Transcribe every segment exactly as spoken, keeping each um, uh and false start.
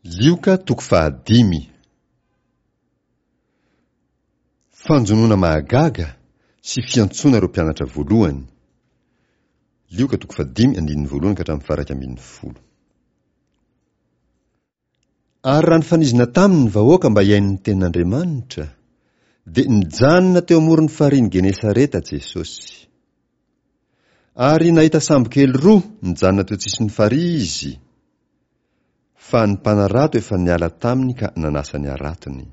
Lioka toko fahadimy. Fanjonoana mahagaga sy fiantsoana ireo mpianatra voalohany. Lioka toko fahadimy andininy voalohany ka hatramin'ny faha iraika ambin'ny folo. Ary raha nifanizina taminy ny vahoaka mba hihaino ny tenin'Andriamanitra, dia nijanona teo amoron'ny farihin'i Genesareta Jesosy. Ary nahita sambo kely roa nijanona teo an-tsisin'ny farihy izy, fa ny mpanarato efa niala taminy ka nanasa ny haratony.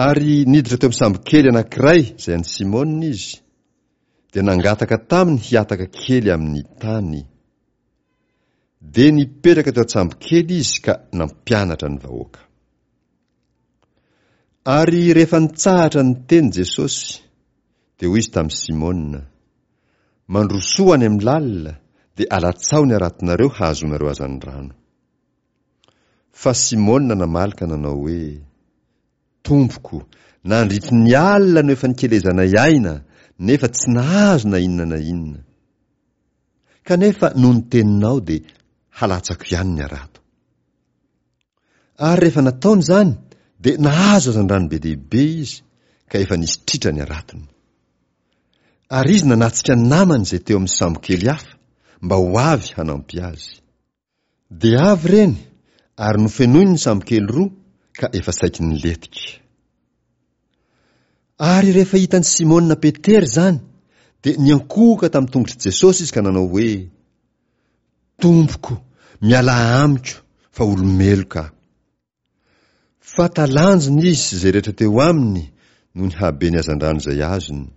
Ary niditra teo amin'ny sambo kely anankiray izay an'i Simona izy, dia nangataka taminy hihataka kely amin'ny tany. Dia nipetraka teo an-tsambo kely izy ka nampianatra ny vahoaka. Ary rehefa nitsahatra niteny Jesosy, dia hoy izy tamin'i Simona, Mandrosoa any amin'ny lalina, dia alatsaho ny haratonareo hahazoanareo hazandrano. Fa Simona namaly ka nanao hoe, Tompoko, nandritry ny alina no efa nikelezanay aina, nefa tsy nahazo na inona na inona. Kanefa noho ny teninao dia halatsako ihany ny harato. Ary rehefa nataony izany, dia nahazo hazandrano be dia be izy, ka efa nisy tritra ny haratony. Ary izy nanatsika ny namany izay teo amin'ny sambo kely hafa, mba ho avy hanampy azy. Dia avy ireny, ary nofenoiny ny sambo kely roa, ka efa saiky nilentika. Ary rehefa hitan'i Simona Petera izany, dia niankohoka tamin'ny tongotr'i Jesosy izy ka nanao hoe, Tompoko, mialà amiko, fa olo-meloka aho. Fa talanjona izy sy izay rehetra teo aminy noho ny haben'ny hazandrano izay azony.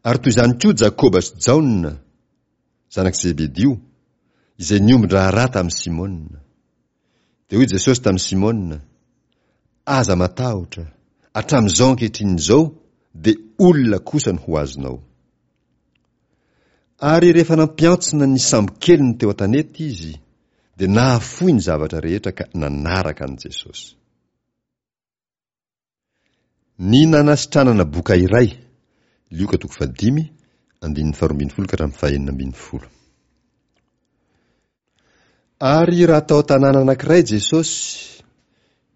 Ary toy izany koa Jakoba sy Jaona, zanak'i Zebedio, izay niombon-draharaha tamin'i Simona. Dia hoy Jesosy tamin'i Simona, Aza matahotra, hatramin'izao ankehitriny izao dia olona kosa no ho azonao. Ary rehefa nampiantsona ny sambokeliny teo an-tanety izy, dia nahafoy ny zavatra rehetra ka nanaraka an'i Jesosy. Ny nanasitranana boka iray, Lioka toko fahadimy, andininy faharoa ambin'ny folo ka hatramin'ny fahenina ambin'ny folo. Ary raha tao an-tanàna anankiray Jesosy,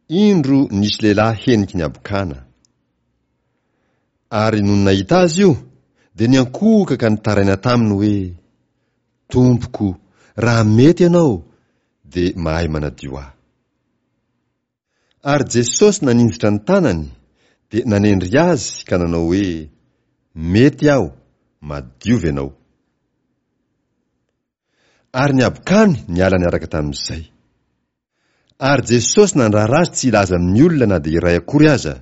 indro nisy lehilahy heniky ny habokana. Ary nony nahita azy io, dia niankohoka ka nitaraina taminy hoe, Tompoko, raha mety ianao, dia mahay manadio ahy. Ary Jesosy naninjitra ny tanany, dia nanendry azy ka nanao hoe, Mety aho, madiova ianao. Ary ny habokany niala niaraka tamin'izay. Ary Jesosy nandrara azy tsy hilaza amin'ny olona na dia iray akory aza,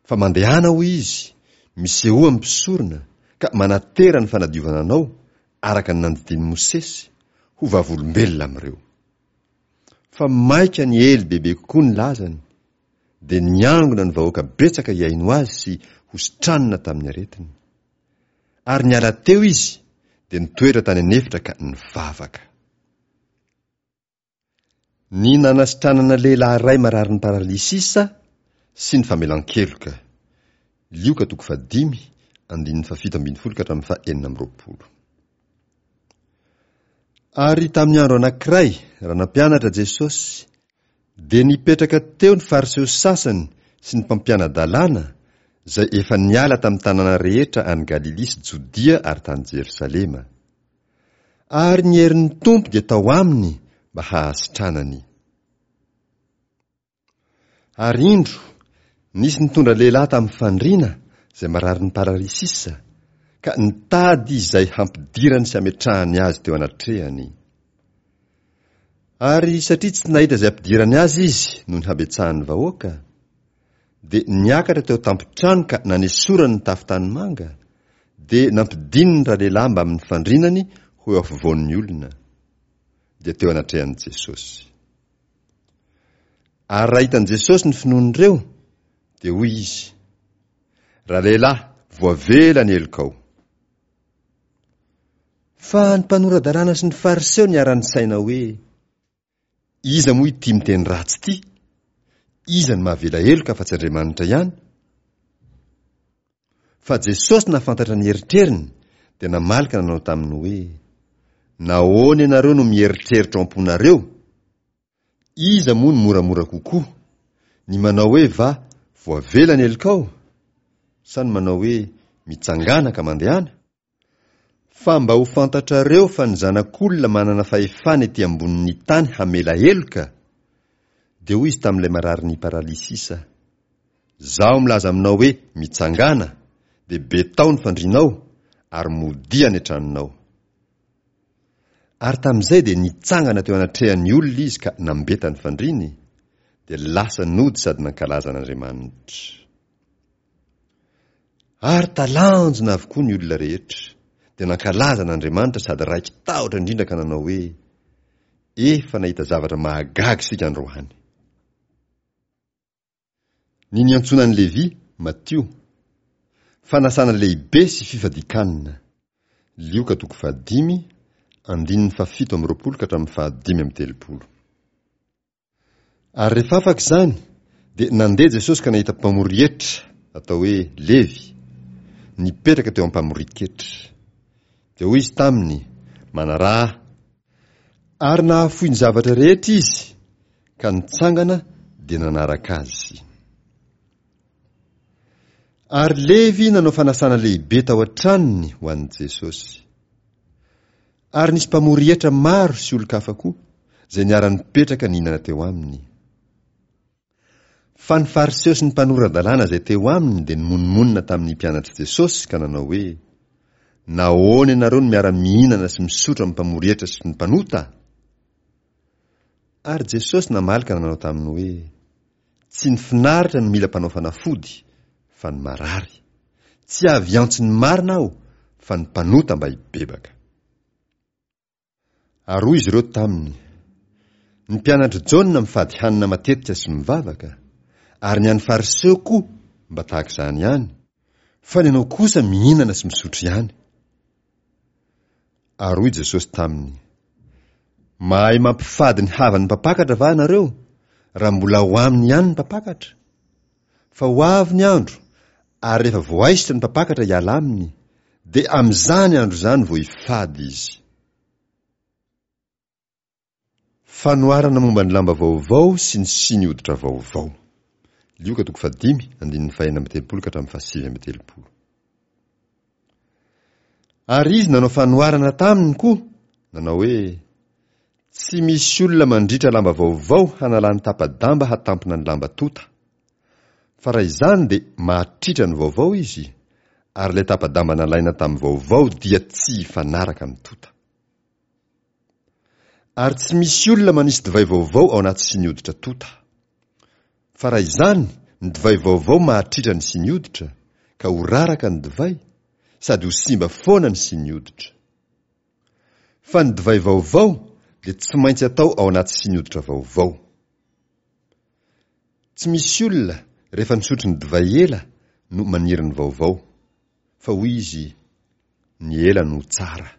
fa mandehana, hoy izy, misehoa amin'ny mpisorona, ka manatera ny fanadiovana anao, araka ny nandidian'i Mosesy, ho vavolombelona amin'ireo. Fa mainka niely bebe kokoa ny lazany, dia niangona ny vahoaka betsaka hihaino azy sy hositranina tamin'ny aretiny. Ary niala teo izy, dia nitoetra tany an'efitra ka nivavaka. Ny nanasitranana lehilahy iray mararin'ny paralysisa sy ny famelan-keloka. Lioka toko fahadimy, andininy fahafito ambin'ny folo ka hatramin'ny fahenina amby roapolo. Ary tamin'ny andro anankiray, raha nampianatra Jesosy, dia nipetraka teo ny Fariseo sasany sy ny mpampiana-dalàna, izay efa niala tamin'ny tanàna rehetra any Galilia sy Jodia ary tany Jerosalema. Ary ny herin'ny Tompo dia tao aminy mba hahasitranany. Ary indro, nisy nitondra lehilahy tamin'ny fandriana izay mararin'ny paralysisa, ka nitady izay hampidirany sy hametrahany azy teo anatrehany. Ary satria tsy nahita izay hampidirany azy izy noho ny habetsahan'ny vahoaka, dia niakatra teo an-tampon-trano ka nanesorany ny tafo tanimanga, dia nampidininy ralehilahy mbamin'ny fandrinany ho eo afovoan'ny olona, dia teo anatrehan'i Jesosy. Ary raha hitan'i Jesosy ny finoan'ireo, dia hoy izy, Ralehilahy, voavela ny helokao. Fa ny mpanora-dalàna sy ny Fariseo niara-nisaina hoe, Iza moa ity miteny ratsy ity? Iza no mahavela heloka afa-tsy Andriamanitra ihany? Fa Jesosy nahafantatra ny eritreriny, dia namaly ka nanao taminy hoe, Nahoana ianareo no mieritreritra ao am-ponareo? Iza moa no moramora kokoa, ny manao hoe va voavela ny helokao, sa ny manao hoe mitsangàna ka mandehana? Fa mba ho fantatrareo fa ny Zanak'olona manana fahefana ety ambonin'ny tany hamela heloka, dia hoy izy tamin'ilay mararin'ny paralysisa, Zaho milaza aminao hoe mitsangàna, dia betao ny fandrianao, ary modia any an-tranonao. Ary tamin'izay dia nitsangana teo anatrehan'ny olona izy ka nambeta ny fandriany, dia lasa nody sady nankalaza an'Andriamanitra. Ary talanjona avokoa ny olona rehetra, dia nankalaza an'Andriamanitra sady raiki-tahotra indrindra ka nanao hoe, Efa nahita zavatra mahagaga isika androany. Ny niantsoana an'i Levy, Matio. Fanasana lehibe sy fifadian-kanina. Lioka toko fahadimy, andininy fahafito amby roapolo ka hatramin'ny fahadimy amby telopolo. Ary rehefa afaka izany, dia nandeha Jesosy ka nahita mpamory hetra, atao hoe Levy, nipetraka teo am-pamorin-ketra. Dia hoy izy taminy, Manaraha ahy. Ary nahafoy ny zavatra rehetra izy, ka nitsangana dia nanaraka azy. Ary Levy nanao fanasana lehibe tao an-tranony ho an'i Jesosy. Ary nisy mpamory hetra maro sy olon-kafa koa, izay niara-nipetraka nihinana teo aminy. Fa ny Fariseo sy ny mpanora-dalàna izay teo aminy dia nimonomonona tamin'ny mpianatr'i Jesosy ka nanao hoe, Nahoana ianareo no miara-mihinana sy misotro amin'ny mpamory hetra sy ny mpanota? Ary Jesosy namaly ka nanao taminy hoe, Tsy ny finaritra no mila mpanao fanafody, fa ny marary. Tsy avy hiantso ny marina aho, fa ny mpanota mba hibebaka. Ary hoy izy ireo taminy, Ny mpianatr'i Jaona mifady hanina matetika sy mivavaka, ary ny an'ny Fariseo koa mba tahaka izany ihany, fa ny anao kosa mihinana sy misotro ihany. Ary hoy Jesosy taminy, Mahay mampifady ny havan'ny mpampakatra va ianareo, raha mbola ao aminy ihany ny mpampakatra? Fa ho avy ny andro, ary rehefa voaisotra ny mpampakatra hiala aminy, dia amin'izany andro izany vao hifady izy. Fanoharana momba ny lamba vaovao sy ny siny hoditra vaovao. Lioka toko fahadimy, andininy fahenina amby telopolo ka hatramin'ny fahasivy amby telopolo. Ary izy nanao fanoharana taminy koa, nanao hoe, Tsy misy olona mandritra lamba vaovao hanalany tapa-damba hatampina ny lamba tota. Fa raha izany dia mahatritra ny vaovao izy, ary ilay tapa-damba nalaina tamin'ny vaovao dia tsy hifanaraka amin'ny tota. Ary tsy misy olona manisy divay vaovao ao anaty siny hoditra tota. Fa raha izany, ny divay vaovao mahatritra ny siny hoditra, ka ho raraka ny divay, sady ho simba foana ny siny hoditra. Fa ny divay vaovao dia tsy maintsy atao ao anaty siny hoditra vaovao. Tsy misy olona rehefa nisotro ny divay ela no maniry ny vaovao, fa hoy izy, ny ela no tsara.